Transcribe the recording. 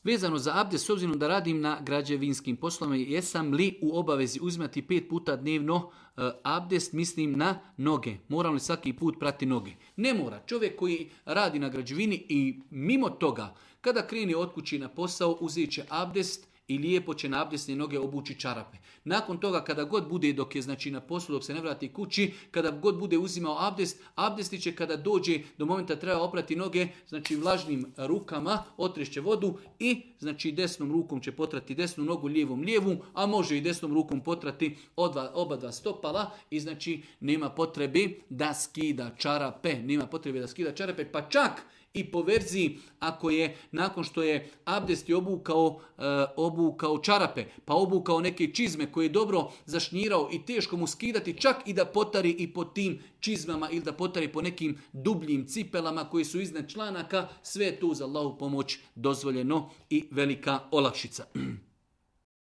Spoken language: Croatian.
Vezano za abdest, s obzirom da radim na građevinskim poslovima, jesam li u obavezi uzimati 5 puta dnevno abdest, mislim na noge. Moram li svaki put prati noge? Ne mora. Čovjek koji radi na građevini i mimo toga, kada krene od kući na posao, uzet će abdest i lijepo će na abdesne noge obući čarape. Nakon toga, kada god bude, dok je znači na poslu, dok se ne vrati kući, kada god bude uzimao abdest, abdestit će kada dođe do momenta treba oprati noge, znači vlažnim rukama otrešće vodu i znači desnom rukom će potrati desnu nogu, lijevom lijevu, a može i desnom rukom potrati oba dva stopala i znači nema potrebe da skida čarape, pa čak i po verziji ako je nakon što je abdest obukao čarape, pa obukao neke čizme koje je dobro zašnjirao i teško mu skidati, čak i da potari i po tim čizmama ili da potari po nekim dubljim cipelama koji su iznad članaka, sve je tu za Allahu pomoć dozvoljeno i velika olakšica.